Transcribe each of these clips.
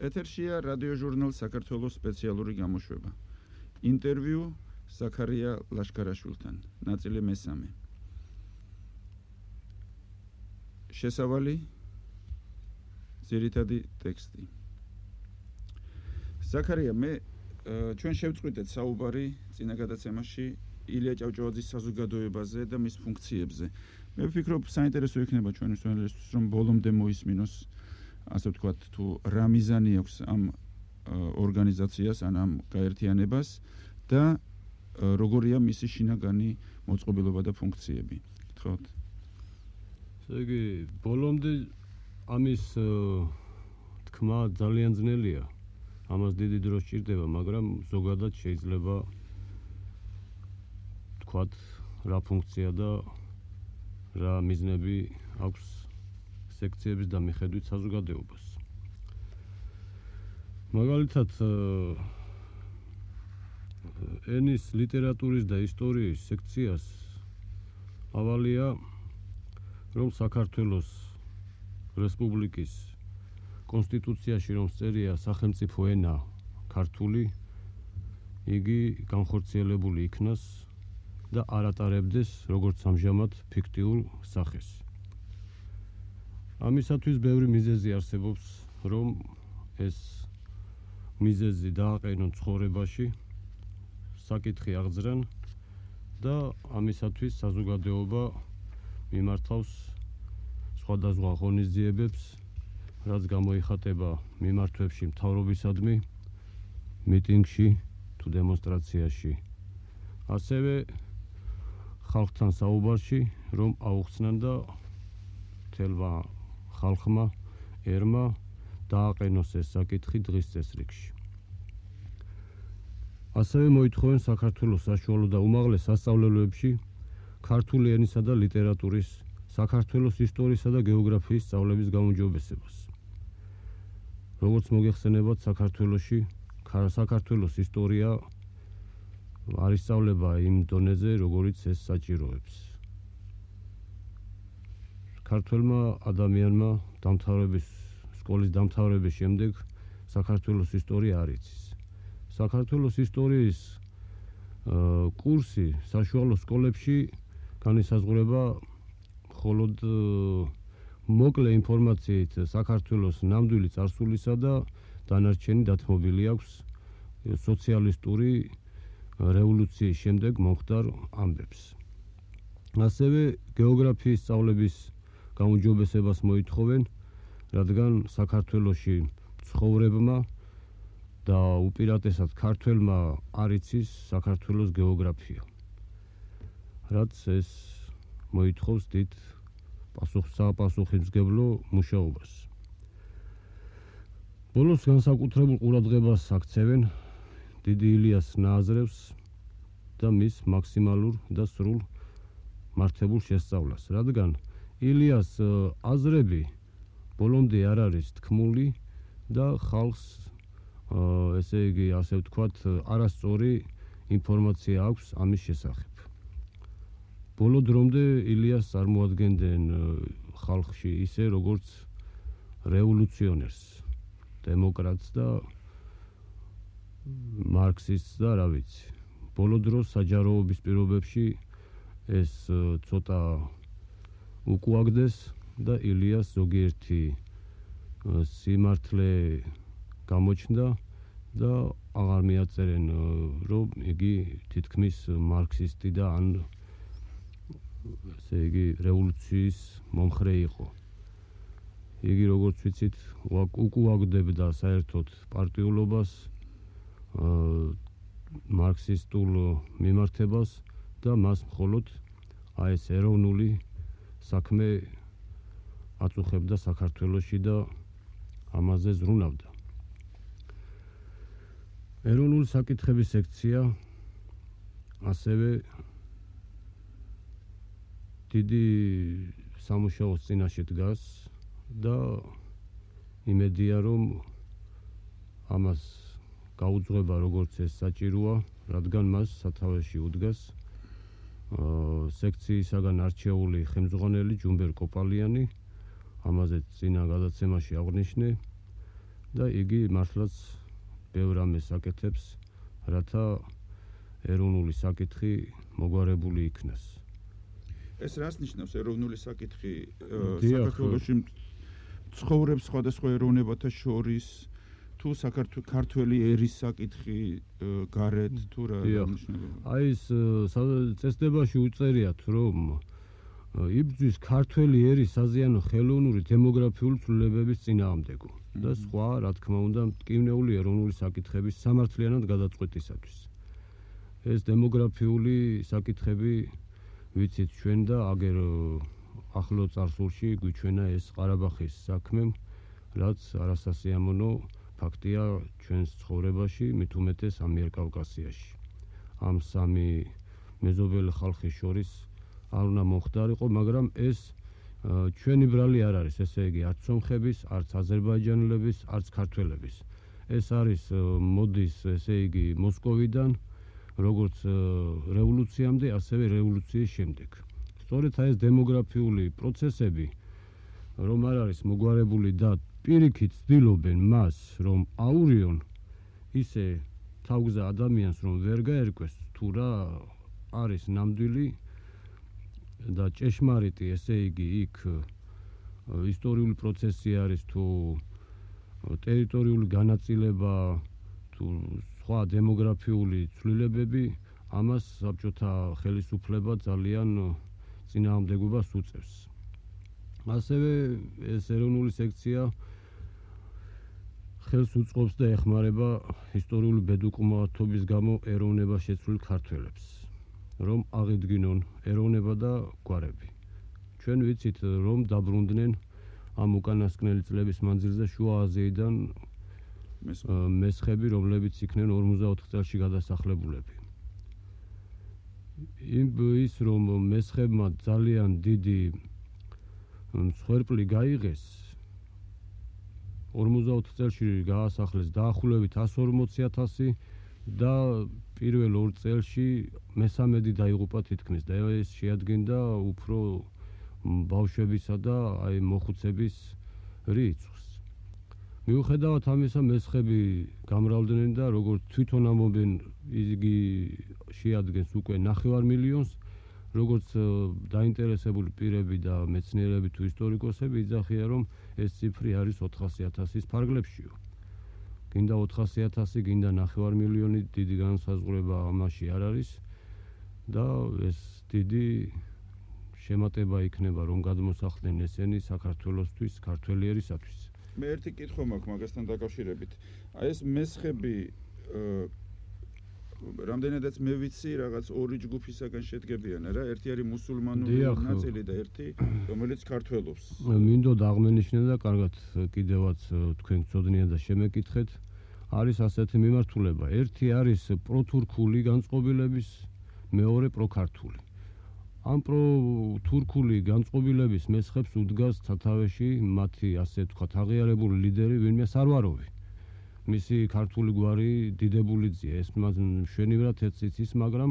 ეთერშია რადიო ჟურნალ საქართველოს სპეციალური გამოშვება. ინტერვიუ ზაქარია ლაშქარაშვილთან. ნაწილი მესამე. შესავალი ძირითადი ტექსტი. ზაქარია, მე ჩვენ შევწყვიტეთ საუბარი წინა გადაცემაში ილია ჭავჭავაძის საზოგადოებაზე და მის ფუნქციებზე. მე ვფიქრობ, საინტერესო იქნება ჩვენისთვის, რომ ბოლომდე მოისმინოს, ასე ვთქვათ, თუ რა მიზანი აქვს ამ ორგანიზაციას, ამ გაერთიანებას და როგორია მისი შინაგანი მოწყობილობა და ფუნქციები. გთხოვთ. ესე იგი, ბოლომდე ამის თქმა ძალიან ძნელია. ამას დიდი დრო სჭირდება, მაგრამ ზოგადად შეიძლება თქვათ რა ფუნქცია და რა მიზნები აქვს სექციების და მიხედვით საზოგადოებას. მაგალითად, ენის, ლიტერატურის და ისტორიის სექციას ავალია, რომ საქართველოს რესპუბლიკის კონსტიტუციაში რომ წერია სახელმწიფო ენა ქართული, იგი განხორციელებული იქნას და არ ატარებდეს როგორც ამჟამად ფიქტიურ სახეს. ამისათვის ბევრი მიზეზი არსებობს, რომ ეს მიზეზი დააყენონ ცხოვრებაში, საკითხი აღძრან და ამისათვის საზოგადოება მიმართავს სხვადასხვა ღონისძიებებს, რაც გამოიხატება მიმართვებში მთავრობისადმი, მიტინგში თუ დემონსტრაციაში. ასევე ხალხთან საუბარში, რომ აუხსნან და მთელმა ხალხმა, ერმა დააყენოს ეს საკითხი დღის წესრიგში. ასევე მოითხოვენ საქართველოს საშუალო და უმაღლეს სასწავლებელებში ქართული ენისა და ლიტერატურის, საქართველოს ისტორიისა და გეოგრაფიის სწავლების გაუმჯობესებას. როგორც მოგეხსენებათ, საქართველოს ისტორია არ ისწავლება იმ დონეზე, როგორიც ეს საჭიროებს. ქართველმა ადამიანმა სკოლის დამთავრების შემდეგ საქართველოს ისტორია არ იცის. საქართველოს ისტორიის კურსი საშუალო სკოლებში განისაზღვრება მხოლოდ მოკლე ინფორმაციით საქართველოს ნამდვილი წარსულისა და დანარჩენი დათმობილი აქვს სოციალისტური რევოლუციის შემდეგ მომხდარ ამბებს. ასევე გეოგრაფიის სწავლების გაუმჯობესებას მოითხოვენ, რადგან საქართველოში ცხოვრებმა და უპირატესად ქართველმა არ იცის საქართველოს გეოგრაფია. რაც ეს მოითხოვს დიდ საპასუხისმგებლო მუშაობას. ბოლოს განსაკუთრებულ ყურადღებას აქცევენ დიდი ილიას ნააზრევს და მის მაქსიმალურ და სრულ მართებულ შესწავლას, რადგან ილიას აზრები ბოლომდე არ არის თქმული და ხალხს, ესე იგი, ასე ვთქვათ, არასწორი ინფორმაცია აქვს ამის შესახებ. ბოლო დრომდე ილიას წარმოადგენდნენ ხალხში ისე, როგორც რევოლუციონერს, დემოკრატს და მარქსისტს და რა ვიცი. ბოლო დროს საჯაროობის პირობებში ეს ცოტა უკუაგდეს და ილიას ზოგიერთი სიმართლე გამოჩნდა და აღარ მიაწერენ, რომ იგი თითქმის მარქსისტი და ან ესე იგი რევოლუციის მომხრე იყო. იგი, როგორც ვიცით, უკუაგდებდა საერთოდ პარტიულობას, მარქსისტულ მიმართებას და მას მხოლოდ ეს ეროვნული საქმე აწუხებდა საქართველოში და ამაზე ზრუნავდა. ეროვნული საკითხების სექცია ასევე დიდი სამუშაოს წინაშე დგას და იმედია, რომ ამას გაუძღვება როგორც ეს საჭიროა, რადგან მას სათავეში უდგას სექციისაგან არჩეული ხელმძღვანელი ჯუმბერ კოპალიანი, ამაზე წინა გადაცემაში აღვნიშნე და იგი მართლაც ბევრ ამას აკეთებს, რათა ეროვნული საკითხი მოგვარებული იქნას. ეს რას ნიშნავს ეროვნული საკითხი საქართველოში ცხოვრებს სხვადასხვა ეროვნებათა შორის თუ ქართველი ერის საკითხი გარეთ თუ რა ნიშნავს? აი ეს წესდებაში უწერიათ რომ იბრძვის ქართველი ერის საზიანო ხელოვნური დემოგრაფიული ცვლილებების წინააღმდეგო და სხვა რა თქმა უნდა მტკივნეული ეროვნული საკითხების სამართლიანად გადაწყვეტისათვის. ეს დემოგრაფიული საკითხები ვიცით ჩვენ და აგერ ახლო წარსულში გვიჩვენა ეს ყარაბაღის საქმე, რაც არასასიამოვნო ფაქტია ჩვენს ცხოვრებაში, მით უმეტეს ამიერკავკასიაში. ამ სამი მეზობელი ხალხის შორის არ უნდა მომხდარიყო, მაგრამ ეს ჩვენი ბრალი არ არის, ესე იგი არც სომხების, არც აზერბაიჯანელების, არც ქართველების. ეს არის მოდის, ესე იგი მოსკოვიდან, როგორც რევოლუციამდე, ასევე რევოლუციის შემდეგ. სწორედ ეს დემოგრაფიული პროცესები, რომ არ არის მოგვარებული და პირიქით ცდილობენ მას, რომ აურიონ ისე თავგზა ადამიანს, რომ ვერ გაერკვეს თუ რა არის ნამდვილი და ჭეშმარიტი, ესე იგი იქ ისტორიული პროცესი არის თუ ტერიტორიული განაწილება თუ სხვა დემოგრაფიული ცვლილებები, ამას საბჭოთა ხელისუფლება ძალიან წინააღმდეგობას უწევს. ასევე ეს ეროვნული სექცია ხელს უწყობს და ეხმარება ისტორიული ბედუკმაოთობის გამო ეროვნება შეცვლილ ქართველებს, რომ აღიდგინონ ეროვნება და გვარები. ჩვენ ვიცით, რომ დაბრუნდნენ ამ უკანასკნელი წლების მანძილზე შუა აზიიდან მესხები, რომლებიც იქნენ 54 წელში გადასახლებულები. ის რომ მესხებმა ძალიან დიდი მსხვერპლი გაიღეს, 54 წელში გაასახლეს დაახლოებით 140,000 და პირველ 2 წელში მესამედი დაიღუპა თითქმის და ეს შეადგენდა უფრო ბავშვებისა და აი მოხუცების რიცხვს. მიუხედავად ამისა, მესხები გამრავლდნენ და როგორც თვითონ ამობენ, იგი შეადგენს უკვე 9 მილიონს, როგორც დაინტერესებული პირები და მეცნიერები თუ ისტორიკოსები იძახიან, რომ ეს ციფრი არის 400,000-ის ფარგლებშიო. გინდა 400,000, გინდა 9 მილიონი, დიდი განსაზღვრება ამაში არ არის და ეს დიდი შემატება იქნება, რომ გადმოსახლდნენ ესენი საქართველოსთვის, ქართველი ერისათვის. მე ერთი კითხვა მაქვს მაგასთან დაკავშირებით. აი ეს მესხები რამდენადაც მე ვიცი, რაღაც ორი ჯგუფისაგან შედგებიან, რა? ერთი არის მუსულმანური ნაწილი და ერთი, რომელიც ქართველობს. მინდოდა აღმენიშნე და კარგად კიდევაც თქვენ გწოდნია და შემეკითხეთ. არის ასეთი მიმართულება. ერთი არის პროთურქული განწყობილების, მეორე პროქართული. ამ პროთურქული განწყობილების მესხებს უდგას სათავეში მათი, ასე ვთქვათ, აღიარებული ლიდერი ვინმე სარვაროვი. მისი ქართული გვარი დიდებულიძეა, ეს მშვენივრად ეცის, მაგრამ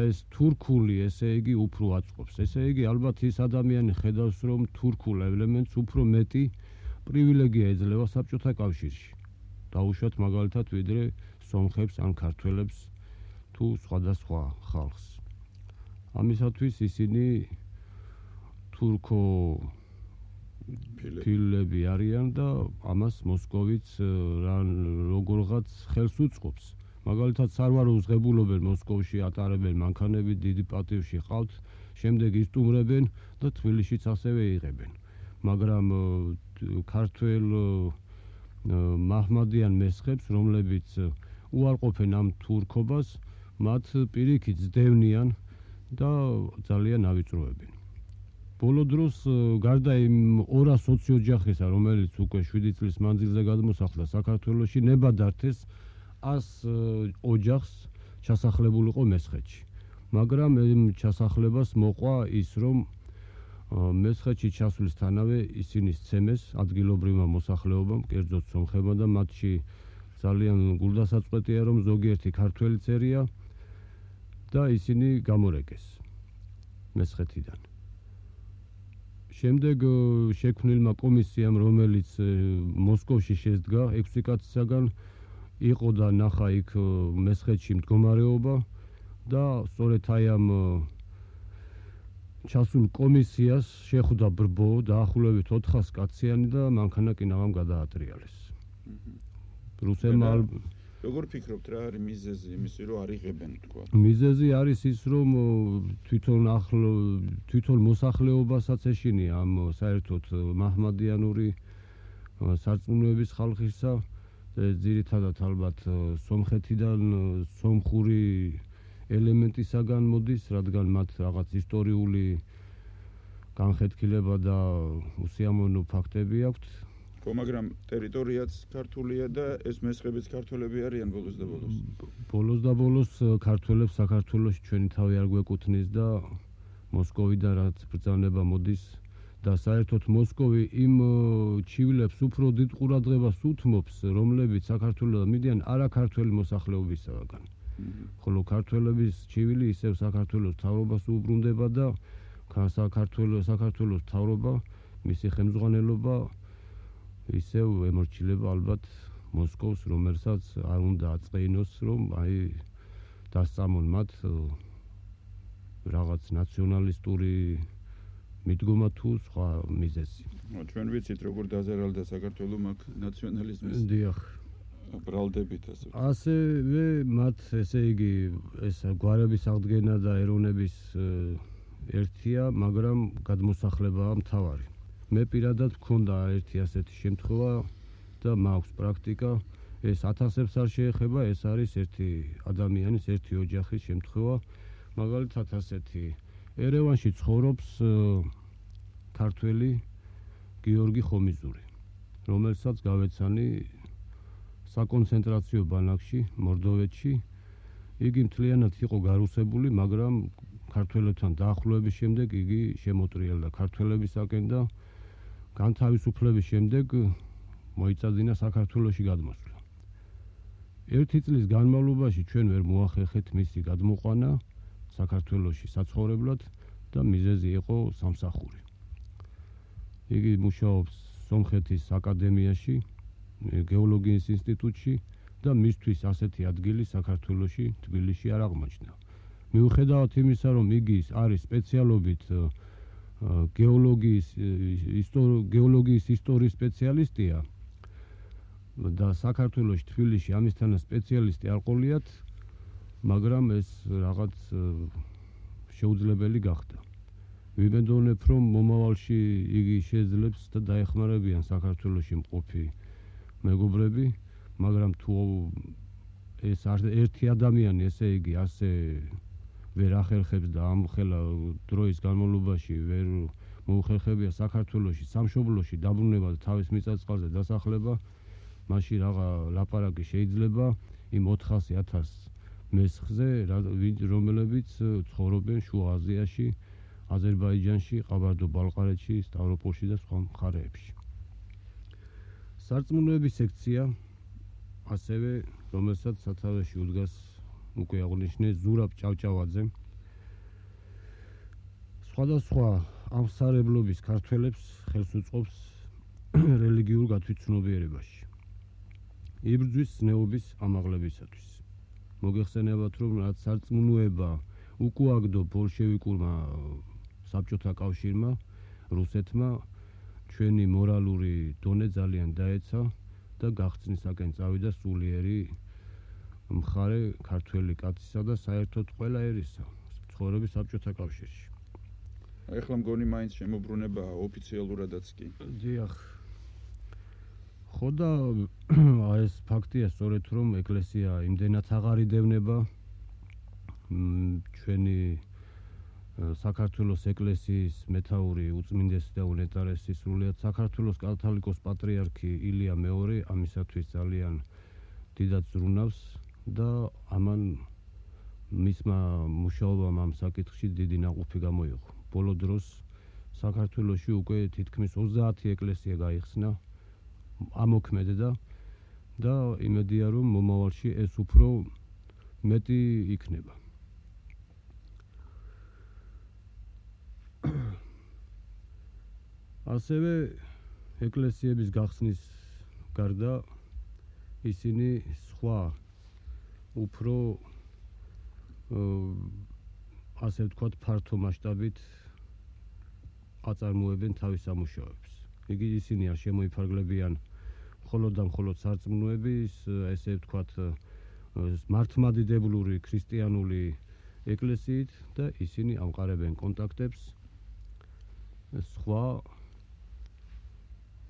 ეს თურქული, ესე იგი, უფრო აწყობს. ესე იგი, ალბათ ის ადამიანი ხედავს, რომ თურქულ ელემენტს უფრო მეტი პრივილეგია ეძლევა საბჭოთა კავშირში. დაუშვათ მაგალითად, ვიდრე სომხებს ან ქართველებს თუ სხვადასხვა ხალხს. ამისათვის ისინი თურქო ფილები არიან და ამას მოსკოვიც როგორღაც ხელს უწყობს. მაგალითად, სარვაროვს ღებულობენ მოსკოვში, ატარებენ მანქანები, დიდი პატივში ყავთ, შემდეგ ისტუმრებენ და თბილისშიც ასევე იღებენ. მაგრამ ქართველ მაჰმადიან მესხებს, რომლებიც უარყოფენ ამ თურქობას, მათ პირიქით ძდევნიან და ძალიან ავიწროებენ. ბოლო დროს გარდა იმ 200 ოჯახისა, რომელიც უკვე 7 წლის მანძილზე გადმოსახლდა საქართველოში, ნებადართეს 100 ოჯახს ჩასახლებულიყო მესხეთში. მაგრამ ამ ჩასახლებას მოყვა ის, რომ მესხეთში ჩასვლისთანავე ისინი სცემეს ადგილობრივმა მოსახლეობამ, კერძოდ სომხებმა და მათში ძალიან გულდასაწყვეტია, რომ ზოგიერთი ქართველი წერია და ისინი გამორეკეს მესხეთიდან. შემდეგ შექმნილმა კომისიამ, რომელიც მოსკოვში შედგა 6 კაცისაგან, იყო და ნახა იქ მესხეთში მდგომარეობა და სწორედ აი ამ ჩასულ კომისიას შეხვდა ბრბო დაახლოებით 400 კაციანი და მანქანა-კინაღამ გადაატრიალეს. რუსებმა როგორ ფიქრობთ რა არის მიზეზი იმისი რომ არ იღებენ თქვა? მიზეზი არის ის რომ თვითონ მოსახლეობასაც ეშინია ამ საერთოდ მაჰმადიანური სარწმუნოების ხალხისა ძირითადად ალბათ სომხეთიდან სომხური ელემენტისაგან მოდის, რადგან მათ რაღაც ისტორიული განხეთქილება და უსიამოვნო ფაქტები აქვთ. ხო, მაგრამ ტერიტორიაც ქართულია და ეს მესხებიც ქართველები არიან ბოლოს და ბოლოს. ბოლოს და ბოლოს ქართველებს საქართველოში ჩვენი თავი არ გვეკუთვნის და მოსკოვიდან რაც ბრძანება მოდის და საერთოდ მოსკოვი იმ ჩივილებს უფრო დიდ ყურადღებას უთმობს, რომლებიც საქართველოს მიდიან არაქართველი მოსახლეობისაგან. ხოლო ქართველების ჩივილი ისევ საქართველოს მთავრობას უბრუნდება და საქართველოს მთავრობა, მისი ხელმძღვანელობა ისევ ემორჩილება ალბათ მოსკოვს, რომელსაც არ უნდა აწყეინოს, რომ აი დასწამონ მათ რაღაც ნაციონალისტური მიდგომა თუ სხვა მიზეზი. ჩვენ ვიცით როგორ დაზარალდა საქართველო მაგ ნაციონალიზმის. დიახ. ბრალდებით ასე. ასევე მათ ესე იგი ეს გვარების აღდგენა და ეროვნების ერთია, მაგრამ გადმოსახლებაა მთავარი. მე პირადად მქონდა ერთი ასეთი შემთხვევა და მაქვს პრაქტიკა, ეს 1000-ებს არ შეეხება, ეს არის ერთი ადამიანის, ერთი ოჯახის შემთხვევა. მაგალითად ასეთი ერევანში ცხოვრობს ქართველი გიორგი ხომიზური, რომელსაც გავეცანი საკონცენტრაციო ბანაკში, მორდოვეთში. იგი მთლიანად იყო გარუსებული, მაგრამ ქართველებთან დაახლოების შემდეგ იგი შემოტრიალდა ქართველებისაკენ და განთავისუფლების შემდეგ მოიწადინა საქართველოში გადმოსვლა. 1 წლის განმავლობაში ჩვენ ვერ მოახერხეთ მისი გადმოყვანა საქართველოში საცხოვრებლად და მიზეზი იყო სამსახური. იგი მუშაობს სომხეთის აკადემიაში, გეოლოგიის ინსტიტუტში და მისთვის ასეთი ადგილი საქართველოში, თბილისში არ აღმოჩნდა. მიუხედავად იმისა, რომ იგი არის სპეციალობით გეოლოგიის ისტორიის სპეციალისტია და საქართველოში, თბილისში ამისთანა სპეციალისტი არ ყოლიათ, მაგრამ ეს რაღაც შეუძლებელი გახდა. ვიმედოვნებ, რომ მომავალში იგი შეძლებს და დაეხმარებიან საქართველოში მყოფი მეგობრები, მაგრამ თუ ეს ერთი ადამიანი, ესე იგი, ასე ვერ ახერხებს და ამ ხელა დროის განმავლობაში ვერ მოუხერხებია საქართველოში სამშობლოში დაბრუნება და თავის მიწა-წყალზე დასახლება, მაშინ რაღა ლაპარაკი შეიძლება იმ 400,000 მესხზე, რომლებიც ცხოვრობენ შუა აზიაში, აზერბაიჯანში, ყაბარდო-ბალყარეთში, სტავროპოლში და სხვა მხარეებში. სარწმუნოების სექცია ასევე, რომელსაც სათავეში უდგას უკვე აღნიშნე ზურაბ ჭავჭავაძე, სხვადასხვა ამსარებლობის ქართველებს ხელს უწყობს რელიგიურ გათვითცნობიერებაში, იბრძვის ზნეობის ამაღლებისათვის. მოგეხსენებათ, რომ რაც სარწმუნოება უკუაგდო ბოლშევიკურმა საბჭოთა კავშირმა, რუსეთმა ჩვენი მორალური დონე ძალიან დაეცა და გახსნისაკენ წავიდა სულიერი მხარე ქართველი კაცისა და საერთოდ ყველა ერისა ცხოვრების საბჭოთა კავშირში. ეხლა მგონი მაინც შემოbrunებაა ოფიციალურადაც კი. დიახ. ხო და ეს ფაქტია სწორედ რომ ეკლესია იმდენად აღარ იდევნება ჩვენი საქართველოს ეკლესიის მეთაური უწმინდესი და უნეტარესი სრულიად საქართველოს კათოლიკოს პატრიარქი ილია მეორე ამისათვის ძალიან დიდად ზრუნავს და ამან მისმა მუშაობამ ამ საკითხში დიდი ნაყოფი გამოიღო. ბოლო დროს საქართველოში უკვე თითქმის 30 ეკლესია გაიხსნა, ამოქმედდა და იმედია რომ მომავალში ეს უფრო მეტი იქნება. ასევე ეკლესიების გახსნის გარდა ისინი სხვა უფრო ასე ვთქვათ ფართო მასშტაბით აწარმოებენ თავის სამუშაოებს. იგი ისინი არ შემოიფარგლებიან მხოლოდ და მხოლოდ სარწმუნოების, ესე ვთქვათ, მართლმადიდებლური ქრისტიანული ეკლესიით და ისინი ამყარებენ კონტაქტებს სხვა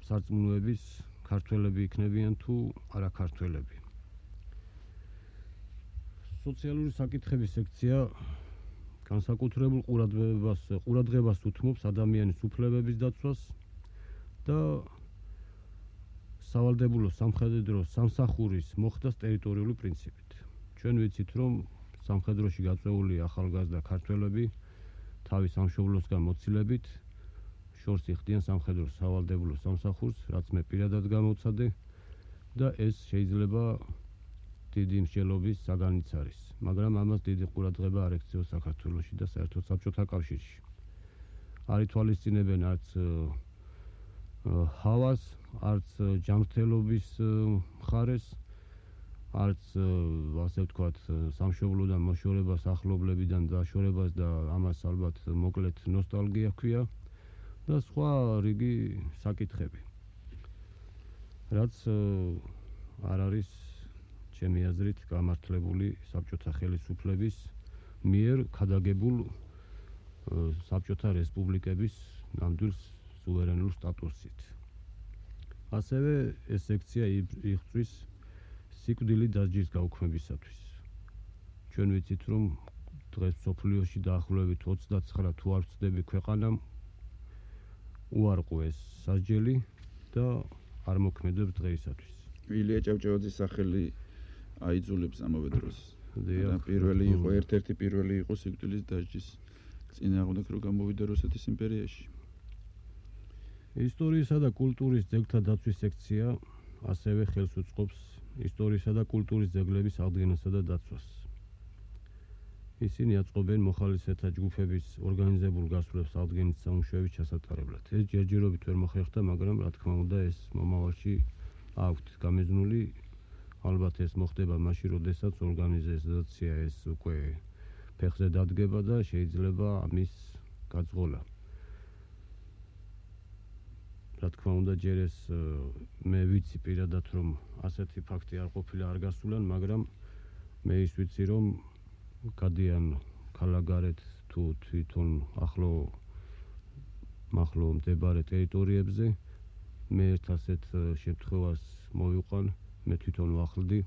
სარწმუნოების ქართველები იქნებიან თუ არა ქართველები. სოციალური საკითხების სექცია განსაკუთრებულ ყურადღებას უთმობს ადამიანის უფლებების დაცვას და სავალდებულო სამხედრო სამსახურის მოხდას ტერიტორიული პრინციპით. ჩვენ ვიცით, რომ სამხედროში გაწეული ახალგაზრდა ქართველები თავის სამშობლოსგან მოცილებით შორს იხდიან სამხედროს სავალდებულო სამსახურს, რაც მე პირადად გამოვცადე და ეს შეიძლება დიდი მსჯელობის საგანიც არის, მაგრამ ამას დიდი ყურადღება არ ექცევა საქართველოში და საერთოდ საბჭოთა კავშირში. არ ითვალისწინებენ არც ჰავას, არც ჯანმრთელობის მხარეს, არც ასე ვთქვათ სამშობლოდან მოშორებას, ახლობლებიდან დაშორებას და ამას ალბათ მოკლედ ნოსტალგია ჰქვია და სხვა რიგი საკითხები. რაც არ არის ჩემი აზრით გამართლებული საბჭოთა ხელისუფლების მიერ ქადაგებულ საბჭოთა რესპუბლიკების ნამდვილ სუვერენულ სტატუსით. ასევე ეს სექცია იღწვის სიკვდილით დასჯის გაუქმებისათვის. ჩვენ ვიცით, რომ დღეს მსოფლიოში დაახლოებით 29 თუ არ ვცდები ქვეყანამ უარყო ეს სასჯელი და არ მოქმედებს დღეისათვის. ილია ჭავჭავაძის სახელი აიძულებს ამავე დროს. პირველი იყო, ერთ-ერთი პირველი იყო სიკვდილის დასჯის წინააღმდეგ რო გამოვიდა რუსეთის იმპერიაში. ისტორიისა და კულტურის ძეგლთა დაცვის სექცია ასევე ხელს უწყობს ისტორიისა და კულტურის ძეგლების აღდგენასა და დაცვას. ისინი აწყობენ მოხალისეთა ჯგუფების ორგანიზებულ გასვლებს აღდგენის სამუშაოების ჩასატარებლად. ეს ჯერჯერობით ვერ მოხერხდა, მაგრამ რა თქმა უნდა ეს მომავალში აქვთ გამიზნული. ალბათ ეს მოხდება მაშინ, როდესაც ორგანიზაცია ეს უკვე ფეხზე დადგება და შეიძლება ამის გაძღოლა. რა თქმა უნდა ჯერ ეს მე ვიცი პირადად, რომ ასეთი ფაქტი არ ყოფილა არ გასულან, მაგრამ მე ის ვიცი, რომ გადიან ქალაქგარეთ თუ თვითონ ახლო მდებარე ტერიტორიებზე. მე ერთ ასეთ შემთხვევას მოვიყვან, მე თვითონ ვახლდი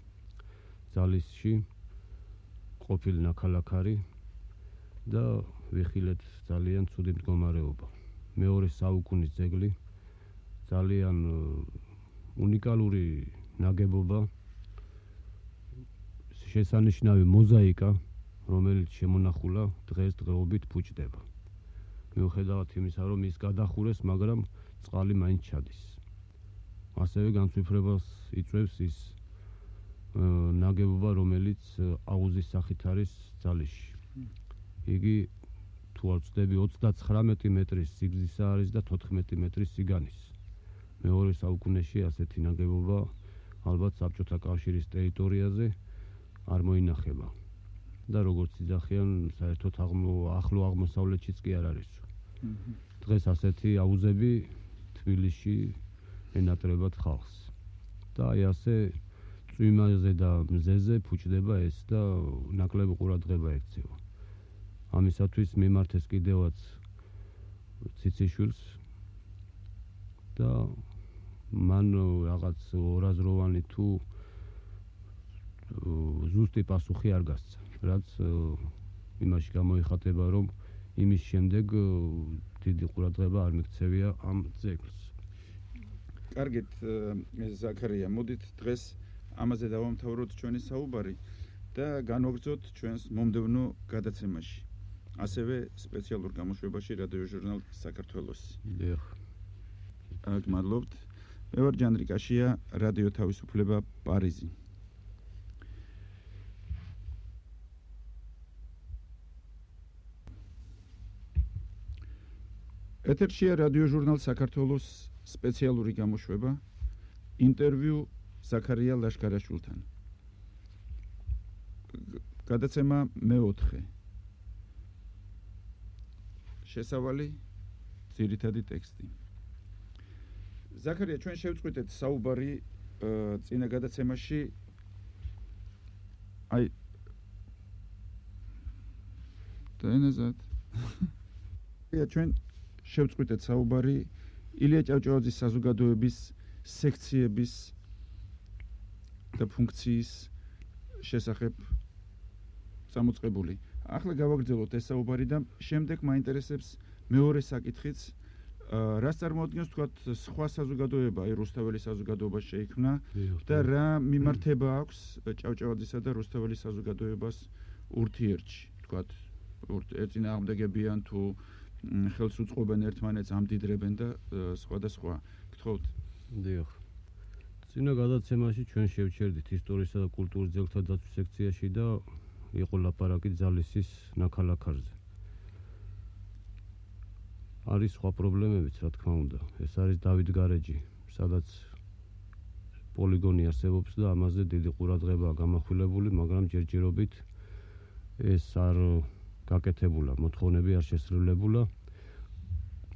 ძალისში ყოფილ ნაქალაქარი და ვიხილეთ ძალიან ცუდი მდგომარეობა. მეორე საუკუნის ძეგლი, ძალიან უნიკალური ნაგებობა, შესანიშნავი მოზაიკა, რომელიც შემონახულა დღესდღეობით ფუჭდება. მიუხედავად იმისა, რომ ის გადახურეს, მაგრამ წყალი მაინც ჩადის. ასევე განცვიფრებას იწვევს ის ნაგებობა, რომელიც აუზის სახით არის ძალისში. იგი თუ არ ვცდები 39 მეტრის სიგრძისა არის და 14 მეტრის სიგანის. მეორე საუკუნეში ასეთი ნაგებობა ალბათ საბჭოთა კავშირის ტერიტორიაზე არ მოინახება. და როგორც იძახიან, საერთოდ ახლო აღმოსავლეთშიც კი არ არის. დღეს ასეთი აუზები თბილისში ენატრებათ ხალხს. და აი ასე წვიმაზე და მზეზე ფუჭდება ეს და ნაკლები ყურადღება ექცევა. ამისათვის მიმართეს კიდევაც ციციშვილს და მან რაღაც ორაზროვანი თუ ზუსტი პასუხი არ გასცა, რაც იმაში გამოიხატება, რომ იმის შემდეგ დიდი ყურადღება არ მიქცევია ამ ძეგლს. კარგით, ზაქარია, მოდით დღეს ამაზე დავამთავროთ ჩვენი საუბარი და განვაგრძოთ ჩვენს მომდევნო გადაცემაში. ასევე სპეციალურ გამოშვებაში რადიო ჟურნალ საქართველოსი. დიახ. გმადლობთ. მე ვარ ჯანდრი კაშია, რადიო თავისუფლება პარიზი. ეთერშია რადიოჟურნალ საქართველოს სპეციალური გამოშვება ინტერვიუ ზაქარია ლაშქარაშვილთან. გადაცემა მე-4. შესავალი ძირითადი ტექსტი. ზაქარია, ჩვენ შევწყვიტეთ საუბარი წინა გადაცემაში აი დაენაზად. ჩვენ შევწყვიტეთ საუბარი ილია ჭავჭავაძის საზოგადოების სექციების და ფუნქციის შესახებ წამოწყებული. ახლა გავაგრძელოთ ეს საუბარი და შემდეგ მაინტერესებს მეორე საკითხიც, რას წარმოადგენს თქვათ სხვა საზოგადოება, აი რუსთაველის საზოგადოება შეიქმნა და რა მიმართება აქვს ჭავჭავაძისა და რუსთაველის საზოგადოებას ურთიერთში, თქვათ ეწინააღმდეგებიან თუ ხელს უწყობენ ერთმანეთს, ამდიდრებენ და სხვა და სხვა. გთხოვთ. დიახ. წინა გადაცემაში ჩვენ შევჩერდით ისტორიისა და კულტურის ძეგლთა დაცვის სექციაში და იყო ლაპარაკი ძალისის ნაქალაქარზე. არის სხვა პრობლემებიც, რა თქმა უნდა. ეს არის დავით გარეჯი, სადაც პოლიგონი არსებობს და ამაზე დიდი ყურადღებაა გამახვილებული, მაგრამ ჯერჯერობით ეს არ გაკეთებულა, მოთხოვნები არ შესრულებულა.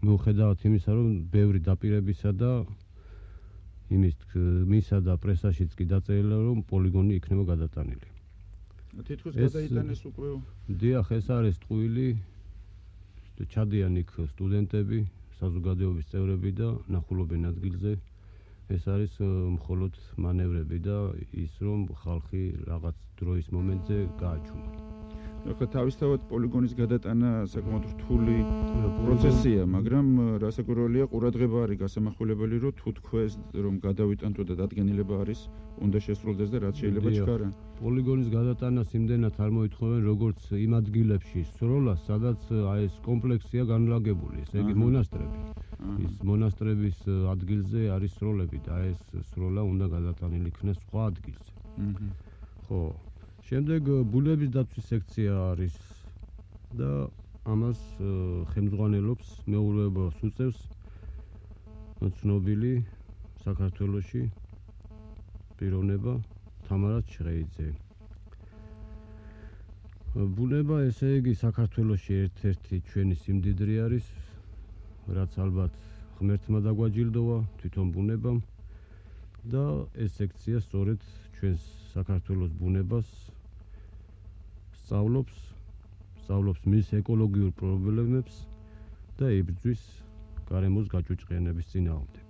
მიუხედავად იმისა, რომ ბევრი დაპირებისა და მისა და პრესაშიც კი დაწერილა, რომ პოლიგონი იქნება გადატანილი. თითქოს გადაიტანეს უკვე. დიახ, ეს არის ტყუილი. ჩადიან იქ სტუდენტები, საზოგადოების წევრები და ნახულობენ ადგილზე. ეს არის მხოლოდ მანევრები და ის რომ ხალხი რაღაც დროის მომენტზე გააჩუმა. ახლა თავისთავად პოლიგონის გადატანა საკმაოდ რთული პროცესია, მაგრამ რასაკვირველია, ყურადღება არის გასამახვილებელი, რომ თუ თქვეს რომ გადავიტანთო და დადგენილება არის, უნდა შესრულდეს და რაც შეიძლება ჩქარა. პოლიგონის გადატანას იმდენად არ მოითხოვენ, როგორც იმ ადგილებში სროლას, სადაც აი ეს კომპლექსია განლაგებული, ესე იგი მონასტრები. ის მონასტრების ადგილზე არის სროლები და ეს სროლა უნდა გადატანილი იქნეს სხვა ადგილზე. ხო. შემდეგ ბუნების დაცვის სექცია არის და ამას ხელმძღვანელობს მეურვეობას უწევს ცნობილი საქართველოში პიროვნება თამარა ჩხეიძე. ბუნება, ესე იგი, საქართველოში ერთ-ერთი ჩვენი სიმდიდრე არის, რაც ალბათ ღმერთმა დაგვაჯილდოვა თვითონ ბუნებამ და ეს სექცია სწორედ ჩვენს საქართველოს ბუნებას სწავლობს მის ეკოლოგიურ პრობლემებს და იბრძვის გარემოს გაჭუჭყიანების წინააღმდეგ.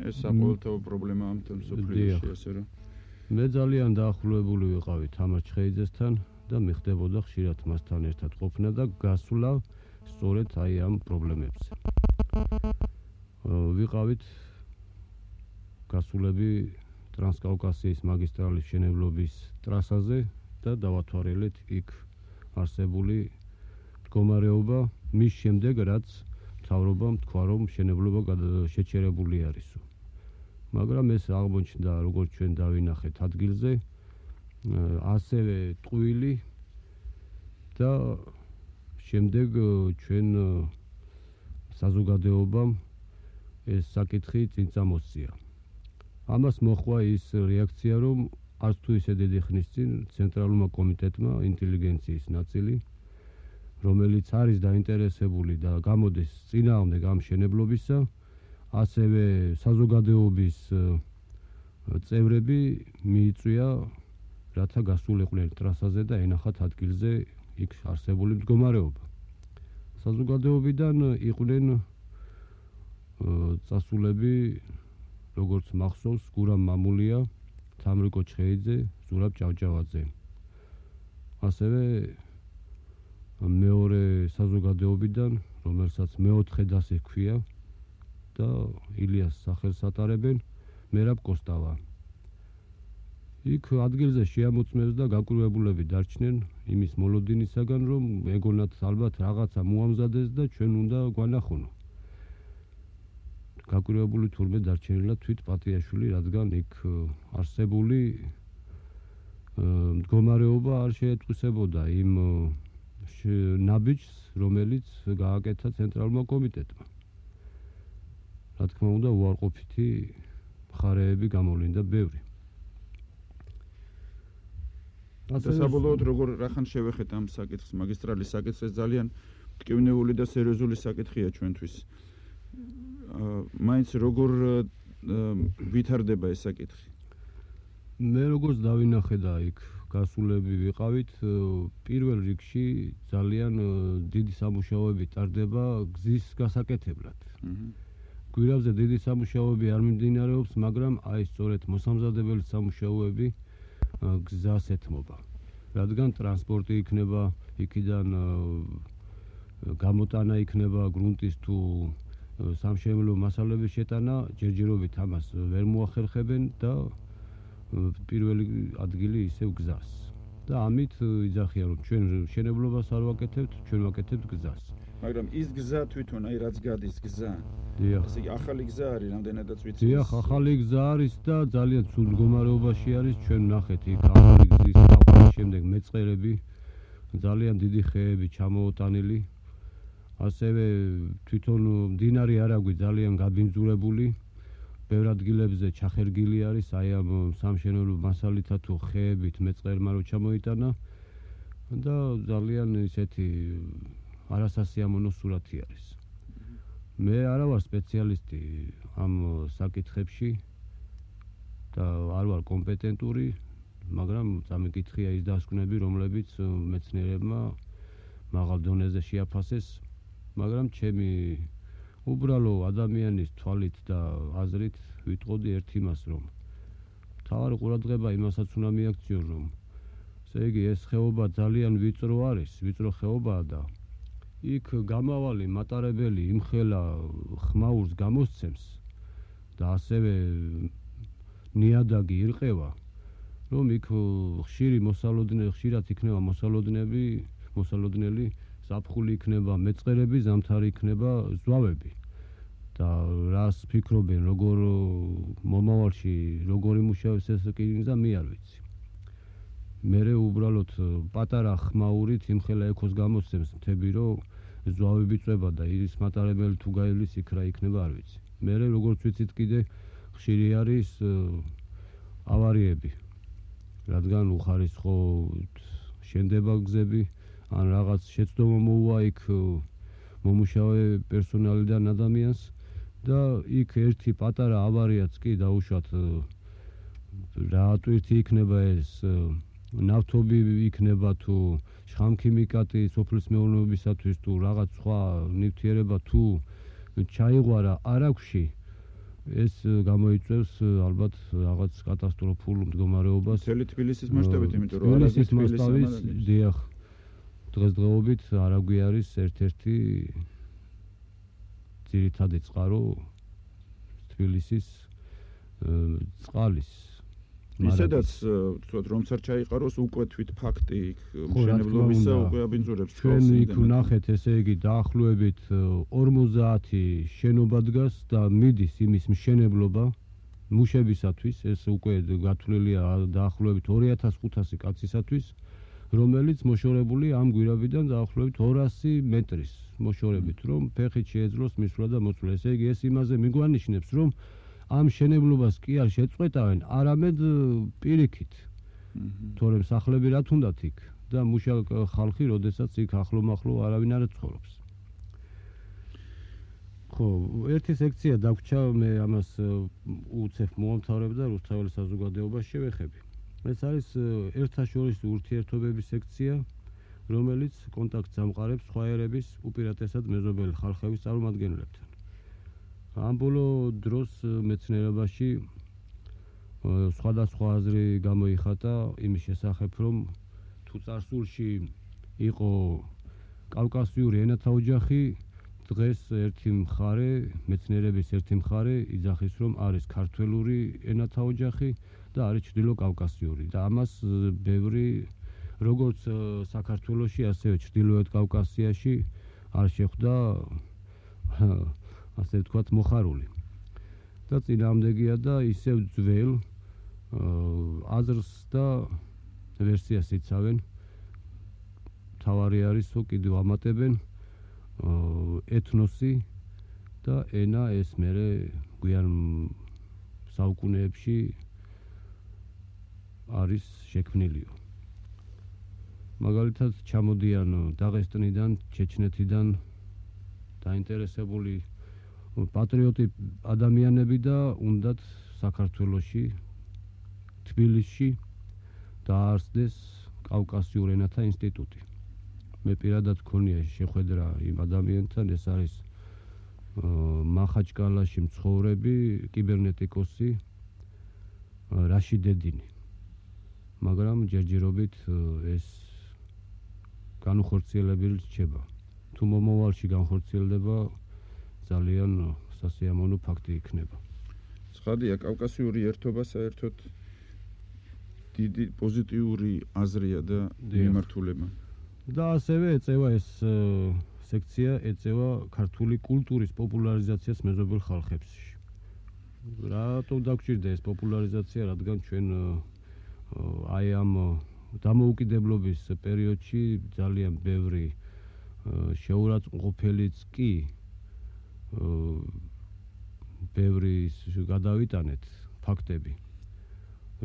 ეს საყოველთაო პრობლემაა ამ მსოფლიოში, ასე რომ მე ძალიან დაახლოებული ვიყავი თამარ ჩხეიძესთან და მიხდებოდა ხშირად მასთან ერთად ყოფნა და გასვლა სწორედ აი ამ პრობლემებზე. ვიყავით გასულები ტრანსკავკასიის მაგისტრალის მშენებლობის ტრასაზე და დავათვალეთ იქ არსებული მდგომარეობა მის შემდეგ, რაც მთავრობამ თქვა, რომ მშენებლობა შეჩერებული არისო. მაგრამ ეს აღმოჩნდა, როგორც ჩვენ დავინახეთ ადგილზე, ასევე ტყუილი და შემდეგ ჩვენ საზოგადოებამ ეს საკითხი წინ წამოსწია. ამას მოხდა ის რეაქცია, რომ არც თუ ისე დიდი ხნის წინ ცენტრალურმა კომიტეტმა ინტელიგენციის ნაწილი, რომელიც არის დაინტერესებული და გამოდის წინააღმდეგ ამ მშენებლობისა, ასევე საზოგადოების წევრები მიიწვია, რათა გასულიყვნენ ტრასაზე და ენახათ ადგილზე იქ არსებული მდგომარეობა. საზოგადოებიდან იყვნენ წასულები, როგორც მახსოვს, გურამ მამულია, თამრიკო ჩხეიძე, ზურაბ ჭავჭავაძე. ასევე მეორე საზოგადოებიდან, რომელსაც მე-4 დასი ჰქვია და ილიას სახელს ატარებენ, მერაბ კოსტავა. იქ ადგილზე შეამოწმეს და გაკვირვებულები დარჩნენ იმის მოლოდინისაგან, რომ ეგონათ ალბათ რაღაცა მოამზადეს და ჩვენ უნდა გვანახონო. გაკვირვებული თურმე დარჩენილა თვით პატიაშვილი, რადგან იქ არსებული მდგომარეობა არ შეეტყვისებოდა იმ ნაბიჯს, რომელიც გააკეთა ცენტრალურმა კომიტეტმა. რა თქმა უნდა, უარყოფითი მხარეები გამოვლინდა ბევრი. საბოლოოდ როგორ რახან შევეხეთ ამ საკითხს, მაგისტრალის საკითხს, ეს ძალიან მტკივნეული და სერიოზული საკითხია ჩვენთვის. მაინც როგორ ვითარდება ეს საკითხი? მე როგორც დავინახე და იქ გასულები ვიყავით, პირველ რიგში ძალიან დიდი სამუშაოები ტარდება გზის გასაკეთებლად. გვირაბზე დიდი სამუშაოები არ მიმდინარეობს, მაგრამ აი სწორედ მოსამზადებელი სამუშაოები გზას ეთმობა. რადგან ტრანსპორტი იქნება, იქიდან გამოტანა იქნება გრუნტის თუ სამშენებლო მასალების შეტანა, ჯერჯერობით ამას ვერ მოახერხებენ და პირველი ადგილი ისევ გზას. და ამით იძახიან, რომ ჩვენ მშენებლობას არ ვაკეთებთ, ჩვენ ვაკეთებთ გზას. მაგრამ ის გზა თვითონ, აი რაც გადის გზა. ესე იგი ახალი გზა არის, რამდენადაც ვიცი. დიახ, ახალი გზა არის და ძალიან ცუდ მდგომარეობაში არის. ჩვენ ნახეთ იქ ახალი გზის დაყვანის შემდეგ მეწყერები, ძალიან დიდი ხეები ჩამოოტანილი. ასევე თვითონ მდინარე არაგვი ძალიან გაბინძურებული. ბევრ ადგილებზე ჩახერგილი არის აი ამ სამშენებლო მასალითა თუ ხეებით მეწყერმა რო ჩამოიტანა და ძალიან ისეთი არასასიამოვნო სურათი არის. მე არა ვარ სპეციალისტი ამ საკითხებში და არ ვარ კომპეტენტური, მაგრამ წამიკითხია ის დასკვნები, რომლებიც მეცნიერებმა მაღალ დონეზე შეაფასეს, მაგრამ ჩემი უბრალო ადამიანის თვალით და აზრით ვიტყოდი ერთ იმას, რომ მთავარი ყურადღება იმასაც უნდა მიაქციონ, რომ ესე იგი ეს ხეობა ძალიან ვიწრო არის, ვიწრო ხეობაა და იქ გამავალი მატარებელი იმხელა ხმაურს გამოსცემს და ასევე ნიადაგი ირყევა, რომ იქ ხშირად იქნება მოსალოდნელი ზაფხული იქნება, მეწყერები, ზამთარი იქნება, ზვავები. და რას ფიქრობენ, როგორ მომავალში როგორ იმუშავებს ეს რკინიგზა, მე არ ვიცი. მერე უბრალოდ პატარა ხმაურით იმხელა ექოს გამოსცემს მთები, რომ ზვავები წვება და ის მატარებელი თუ გაივლის იქ რა იქნება, არ ვიცი. მერე როგორც ვიცით კიდე ხშირი არის ავარიები, რადგან უხარისხო შენდება გზები, ან რაღაც შეცდომა მოუვა იქ მომუშავე პერსონალიდან ადამიანს და იქ ერთი პატარა ავარიაც კი დაუშვათ რა ტვირთი იქნება ეს ნავთობი იქნება თუ შხამქიმიკატი სოფლის მეურნეობისათვის თუ რაღაც სხვა ნივთიერება თუ ჩაიღვარა არაგვში, ეს გამოიწვევს ალბათ რაღაც კატასტროფულ მდგომარეობას. მთელი თბილისის მასშტაბით, იმიტომ რომ თბილისის მასშტაბით, დიახ, დღესდღეობით არაგვი არის ერთ-ერთი ძირითადი წყარო თბილისის წყალის. ისედაც ვთქვათ, რომც არ ჩაიყაროს, უკვე თვით ფაქტი იქ მშენებლობისა უკვე აბინძურებს. ჩვენ იქ ვნახეთ, ესე იგი დაახლოებით 50 შენობა დგას და მიდის იმის მშენებლობა მუშებისათვის, ეს უკვე გათვლილია დაახლოებით 2500 კაცისათვის, რომელიც მოშორებული ამ გვირაბიდან დაახლოებით 200 მეტრის მოშორებით, რომ ფეხით შეეძლოს მისვლა და მოწვლა. ესე იგი ეს იმაზე მიგვანიშნებს, რომ ამ შენებლობას კი არ შეწყვეტავენ, არამედ პირიქით. თორემ სახლები რა თუნდათ იქ და მუშა ხალხი, როდესაც იქ ახლო-მახლო არავინ არ ცხოვრობს. ხო, ერთი სექცია დაგვრჩა, მე ამას უცებ მომთავრებ და რუსთაველის საზოგადოებას შევეხები. ეს არის ერთაშორის ურთიერთობების სექცია, რომელიც კონტაქტს ამყარებს სხვა ერების, უპირატესად მეზობელი ხალხების წარმომადგენლებთან. ამ ბოლო დროს მეცნიერებაში სხვადასხვა აზრი გამოიხატა იმის შესახებ, რომ თუ წარსულში იყო კავკასიური ენათა ოჯახი, დღეს ერთი მხარე, მეცნიერების ერთი მხარე იძახის, რომ არის ქართველური ენათა ოჯახი და არის ჩრდილოკავკასიური და ამას ბევრი როგორც საქართველოში, ასევე ჩრდილოეთ კავკასიაში არ შეხვდა ასე ვთქვათ მოხარული. და წინააღმდეგია და ისევ ძველ აზრს და ვერსიას იცავენ. თავარი არისო კიდევ ამატებენ, ეთნოსი და ენა ეს მერე გვიან საუკუნეებში არის შექმნილიო. მაგალითად ჩამოდიან დაღესტნიდან, ჩეჩნეთიდან დაინტერესებული პატრიოტი ადამიანები და უნდათ საქართველოში, თბილისში დაარსდეს კავკასიურ ენათა ინსტიტუტი. მე პირადად მქონია შეხვედრა იმ ადამიანთან, ეს არის მახაჩკალაში მცხოვრები კიბერნეტიკოსი რაშიდედინი. მაგრამ ჯერჯერობით ეს განუხორციელებელი რჩება. თუ მომავალში განხორციელდება, ძალიან სასიამოვნო ფაქტი იქნება. ცხადია, კავკასიური ერთობა საერთოდ დიდი პოზიტიური აზრია და მიმართულება. და ასევე ეწევა ეს სექცია ეწევა ქართული კულტურის პოპულარიზაციას მეზობელ ხალხებში. რატომ დაგჭირდა ეს პოპულარიზაცია, რადგან ჩვენ აი ამ დამოუკიდებლობის პერიოდში ძალიან ბევრი შეურაცხმყოფელიც კი ბევრი გადავიტანეთ ფაქტები,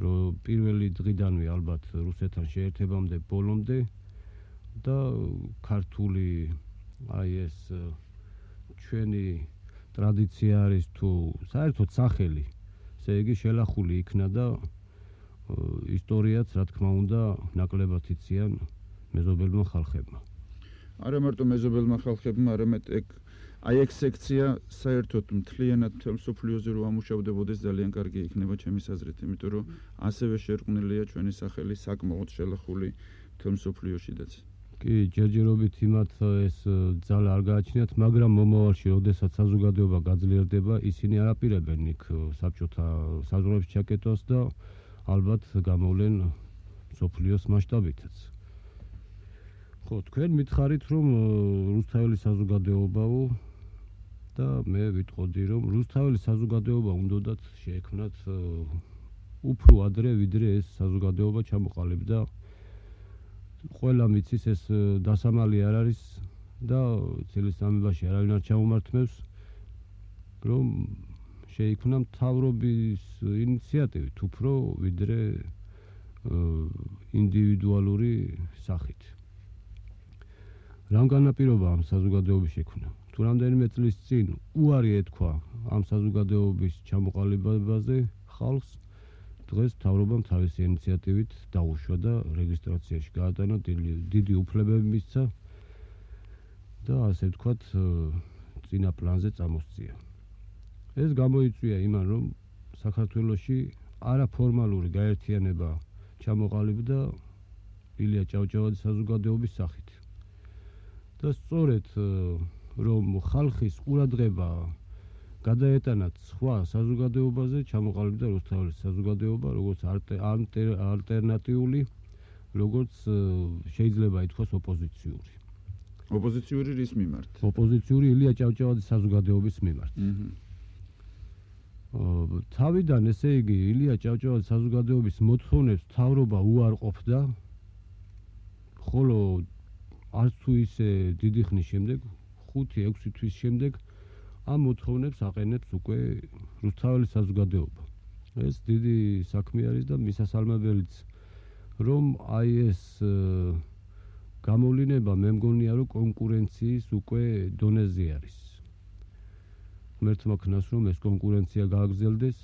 რომ პირველი დღიდანვე ალბათ რუსეთთან შეერთებამდე ბოლომდე და ქართული აი ეს ჩვენი ტრადიცია არის თუ საერთოდ სახელი, ესე იგი შელახული იქნა და ისტორიაც რა თქმა უნდა ნაკლებად იციან მეზობელმა ხალხებმა. არა მარტო მეზობელმა ხალხებმა, არამედ აი ეს სექცია საერთოდ მთლიანად მთელ მსოფლიოზე რო ამუშავდებოდეს ძალიან კარგი იქნება ჩემის აზრით, იმიტომ რომ ასევე შერყვნილია ჩვენი სახელი საკმაოდ შელახული მთელ მსოფლიოშიდაც. კი, ჯერჯერობით იმათ ეს ძალა არ გააჩნიათ, მაგრამ მომავალში, როდესაც საზოგადოება გაძლიერდება, ისინი არ აპირებენ იქ საბჭოთა საზღვრებს ჩაკეტვას და ალბათ გამოვლენ მსოფლიოს მასშტაბითაც. ხო, თქვენ მითხარით, რომ რუსთაველი საზოგადოებაო და მე ვიტყოდი, რომ რუსთაველი საზოგადოება უნდათ შეექმნათ უფრო ადრე, ვიდრე ეს საზოგადოება ჩამოყალიბდა. ყველა მიცის ეს დასამალი არ არის და წლის სამებაში არავინ არ ჩამომართმევს, რომ შეიქმნა მთავრობის ინიციატივით უფრო ვიდრე ინდივიდუალური სახით. რამ განაპირობა ამ საზოგადოების შექმნა? თუ რამდენიმე წლის წინ უარი ეთქვა ამ საზოგადოების ჩამოყალიბებაზე ხალხს, დღეს მთავრობამ თავისი ინიციატივით დაუშვა და რეგისტრაციაში გაატანა, დიდი უფლებები მისცა და ასე ვთქვათ წინა პლანზე წამოსწია. ეს გამოიწვია იმან, რომ საქართველოში არაფორმალური გაერთიანება ჩამოყალიბდა ილია ჭავჭავაძის საზოგადოების სახით. და სწორედ რომ ხალხის ყურადღება გადაეტანათ სხვა საზოგადოებაზე, ჩამოყალიბდა რუსთაველის საზოგადოება, როგორც ალტერნატიული, როგორც შეიძლება ითქვას ოპოზიციური. ოპოზიციური რის მიმართ? ოპოზიციური ილია ჭავჭავაძის საზოგადოების მიმართ. თავიდან, ესე იგი, ილია ჭავჭავაძის საზოგადოების მოთხოვნებს მთავრობა უარყოფდა, ხოლო არც თუ ისე დიდი ხნის შემდეგ, 5-6 თვის შემდეგ ამ მოთხოვნებს აყენებს უკვე რუსთაველის საზოგადოება. ეს დიდი საქმე არის და მისასალმებელიც, რომ აი ეს გამოვლინება მე მგონია, რომ კონკურენციის უკვე დონეზე არის. ღმერთმა ქნას, რომ ეს კონკურენცია გააგრძელდეს,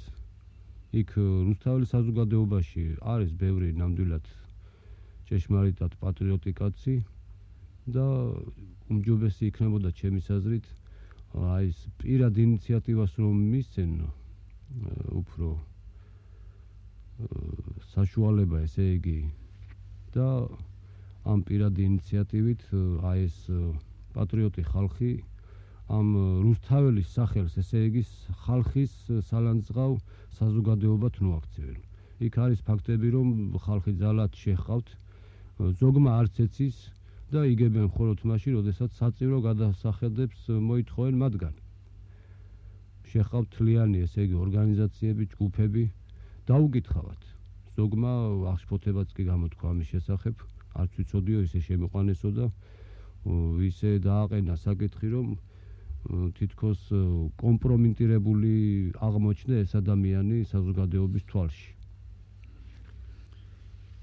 იქ რუსთაველის საზოგადოებაში არის ბევრი ნამდვილად ჭეშმარიტად პატრიოტი კაცი და უმჯობესი იქნებოდა ჩემის აზრით აი ეს პირად ინიციატივას რომ მისცენ უფრო საშუალება, ესე იგი და ამ პირად ინიციატივით აი ეს პატრიოტი ხალხი ამ რუსთაველის სახელს, ესე იგი ხალხის სალანძღავ საზოგადოებად მოაქცევენ. იქ არის ფაქტები, რომ ხალხი ძალად შეჰყავთ, ზოგმა არც ეცის და იგებენ მხოლოდ მაშინ, როდესაც საწირო გადასახედებს მოითხოვენ მათგან. შეჰყავთ თლიანი, ესე იგი ორგანიზაციები, ჯგუფები, დაუკითხავთ. ზოგმა აღშფოთებაც კი გამოთქვა ამის შესახებ, არც ვიცოდიო, ისე შემიყვანესო და ისე დააყენა საკითხი, რომ თითქოს კომპრომიტირებული აღმოჩნდა ეს ადამიანი საზოგადოების თვალში.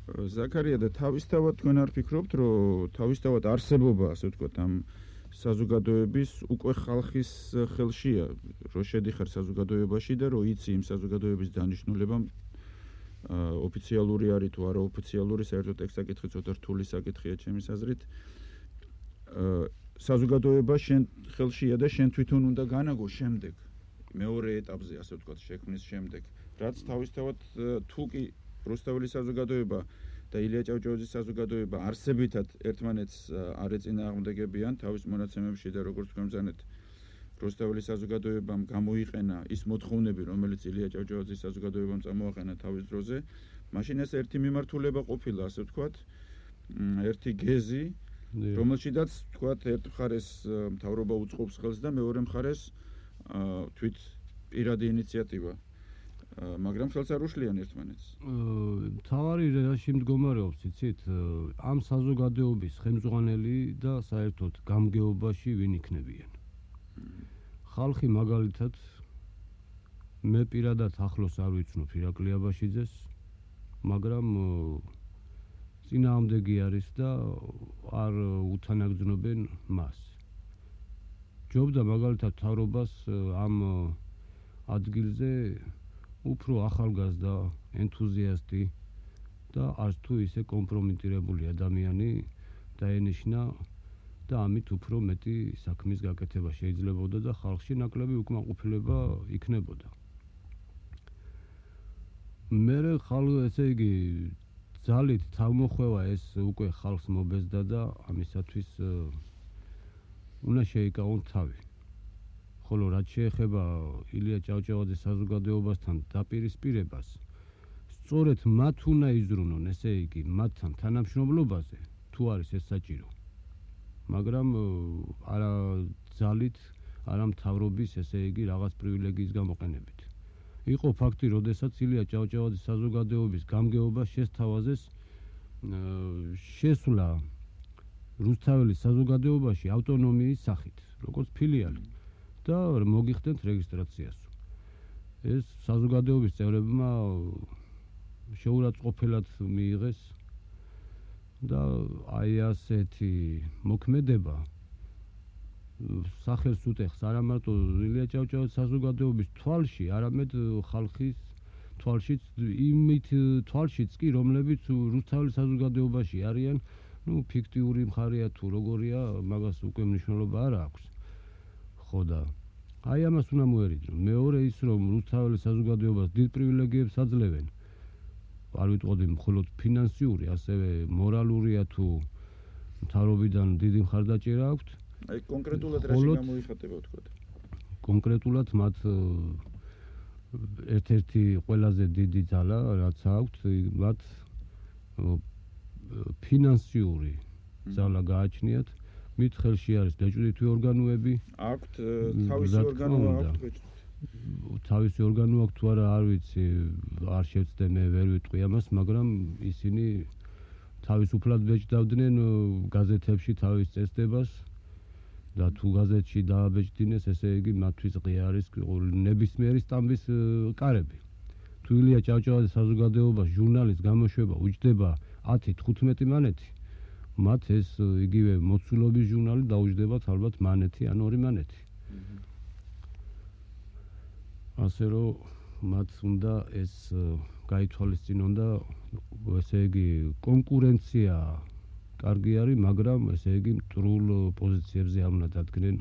ზაქარია და თავისთავად თქვენ არ ფიქრობთ, რომ თავისთავად არსებობა, ასე ვთქვათ, ამ საზოგადოების უკვე ხალხის ხელშია, რომ შედიხარ საზოგადოებაში და რომ იცი იმ საზოგადოების დანიშნულება ოფიციალური არის თუ არა ოფიციალური, საერთოდ ეს საკითხი ცოტა რთული საკითხია ჩემის აზრით. საზოგადოება შენ ხელშია და შენ თვითონ უნდა განაგო შემდეგ, მეორე ეტაპზე, ასე ვთქვათ, შექმნის შემდეგ, რაც თავისთავად თუ კი რუსთაველის საზოგადოება და ილია ჭავჭავაძის საზოგადოება არსებითად ერთმანეთს არ ეწინააღმდეგებიან თავის მონაცემებში და როგორც თქვენ ბრძანეთ, რუსთაველის საზოგადოებამ გამოიყენა ის მოთხოვნები, რომელიც ილია ჭავჭავაძის საზოგადოებამ წამოაყენა თავის დროზე, მაშინ ეს ერთი მიმართულება ყოფილა, ასე ვთქვათ, ერთი გეზი, რომელშიდაც ვთქვათ, ერთ მხარეს მთავრობა უწყობს ხელს და მეორე მხარეს თვით პირადი ინიციატივა. მაგრამ ხელს არ უშლიან ერთმანეთს. თავარი რაში მდგომარეობს, იცით, ამ საზოგადოების ხელმძღვანელი და საერთოდ გამგეობაში ვინ იქნებიან. ხალხი მაგალითად მე პირადად ახლოს არ ვიცნობ ირაკლი აბაშიძეს, მაგრამ წინააღმდეგი არის და არ უთანაგრძნობენ მას. ჯობდა მაგალითად მთავრობას ამ ადგილზე უფრო ახალგაზრდა ენთუზიასტი და არც თუ ისე კომპრომიტირებული ადამიანი დაენიშნა და ამით უფრო მეტი საქმის გაკეთება შეიძლებოდა და ხალხში ნაკლები უკმაყოფილება იქნებოდა. მერე ესე იგი ძალით თავმოხვევა ეს უკვე ხალხს მობეზდა და ამისათვის უნდა შეიკავონ თავი. ხოლო რაც შეეხება ილია ჭავჭავაძის საზოგადოებასთან დაპირისპირებას, სწორედ მათ უნდა იზრუნონ, ესე იგი, მათთან თანამშრომლობაზე, თუ არის ეს საჭირო. მაგრამ არა ძალით, არა მთავრობის, ესე იგი, რაღაც პრივილეგიის გამოყენებით. იყო ფაქტი, როდესაც ილია ჭავჭავაძის საზოგადოების გამგეობა შესთავაზეს შესვლა რუსთაველის საზოგადოებაში ავტონომიის სახით, როგორც ფილიალი. და მოგიხდეთ რეგისტრაციას. ეს საზოგადოების წევრებმა შეურაცხყოფილად მიიღეს და აი ასეთი მოქმედება სახელს უტეხს არა მარტო ილია ჭავჭავაძის საზოგადოების თვალში, არამედ ხალხის თვალშიც, იმით თვალშიც კი, რომლებიც რუსთაველის საზოგადოებაში არიან, ფიქტიური მხარეა თუ როგორია, მაგას უკვე მნიშვნელობა არ აქვს. ხო და აი ამას უნდა მოერიძნო. მეორე ის, რომ რუსთაველის საზოგადოებას დიდ პრივილეგიებს აძლევენ, არ ვიტყოდი მხოლოდ ფინანსიური, ასევე მორალურია თუ მთავრობიდან დიდი მხარდაჭერა აქვთ. აი კონკრეტულად რაში გამოიხატება ვთქვათ? კონკრეტულად მათ ერთ-ერთი ყველაზე დიდი ძალა რაც აქვთ, მათ ფინანსიური ძალა გააჩნიათ. მით ხელში არის დაჭრითი ორგანოები. აქვთ თავისი ორგანო აქვთ. თავისი ორგანო აქვთ თუ არა არ ვიცი, არ შევწდე მე ვერ ვიტყვი ამას, მაგრამ ისინი თავისუფლად ბეჭდავდნენ გაზეთებში თავის წესდებას და თუ გაზეთში დააბეჭდინეს, ესე იგი მათთვის ღია არის ნებისმიერი სტამბის კარები. თუ ილია ჭავჭავაძის საზოგადოებას ჟურნალის გამოშვება უჯდება 10-15 მანეთი, მათ ეს იგივე მოცულობის ჟურნალი დაუჯდებათ ალბათ მანეთი ან 2 მანეთი. ასე რომ მათ უნდა ეს გაითვალისწინონ და ესე იგი კონკურენცია კარგი არის, მაგრამ ესე იგი მტრულ პოზიციებზე არ უნდა დადგნენ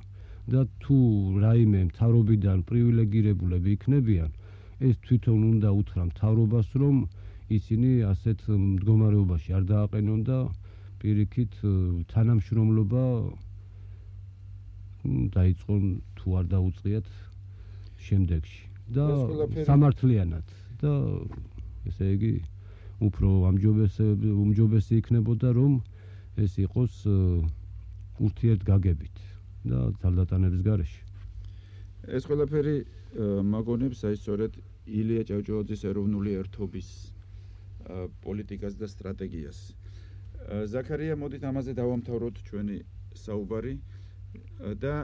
და თუ რაიმე მთავრობიდან პრივილეგირებულები იქნებიან, ეს თვითონ უნდა უთხრა მთავრობას, რომ ისინი ასეთ მდგომარეობაში არ დააყენონ და პირიქით თანამშრომლობა დაიწყონ თუ არ დაუწყიათ შემდეგში და სამართლიანად და ესე იგი უფრო უმჯობესი იქნებოდა, რომ ეს იყოს ურთიერთგაგებით და ძალდატანების გარეშე. ეს ყველაფერი მაგონებს აი სწორედ ილია ჭავჭავაძის ეროვნული ერთობის პოლიტიკას და სტრატეგიას. ზაქარია, მოდით ამაზე დავამთავროთ ჩვენი საუბარი და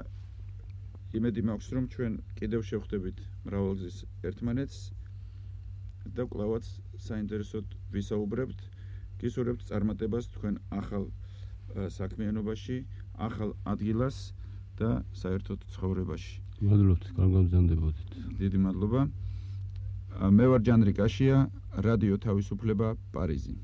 იმედი მაქვს რომ ჩვენ კიდევ შევხვდებით მრავალგზის ერთმანეთს და კვლავაც საინტერესოდ ვისაუბრებთ გისურვებთ წარმატებას თქვენ ახალ საქმიანობაში ახალ ადგილას და საერთოდ ცხოვრებაში მადლობთ გამგზავნებოდით დიდი მადლობა მე ვარ ჯანრი კაშია რადიო თავისუფლება პარიზი